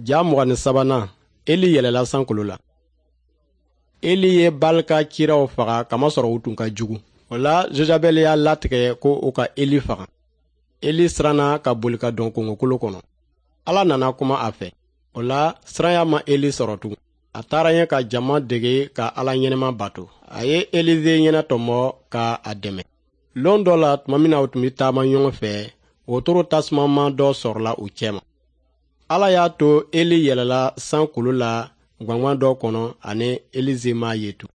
Ja 23nan, Eli yɛlɛla sankolo la. Eli ye Bali ka kiraw faga kamasɔrɔ u tun ka jugu. O la, Jezabɛli y'a latigɛ ko u ka Eli faga. Eli siranna ka boli ka don kongokolo kɔnɔ. Ala nana kuma a fɛ. O la, siranya ma Eli sɔrɔ tugun. A taara ɲɛ ka jama dege ka Ala ɲɛnama bato. A ye Elize ɲɛnatɔmɔ ka a dɛmɛ. Lon dɔ la, tuma min na u tun bɛ taama ɲɔgɔn fɛ, wotoro tasumama dɔ sɔrɔla u cɛma. Ala y'a to Eli yɛlɛla sankolo la gwangwan dɔ kɔnɔ ani Elize m'a ye tun.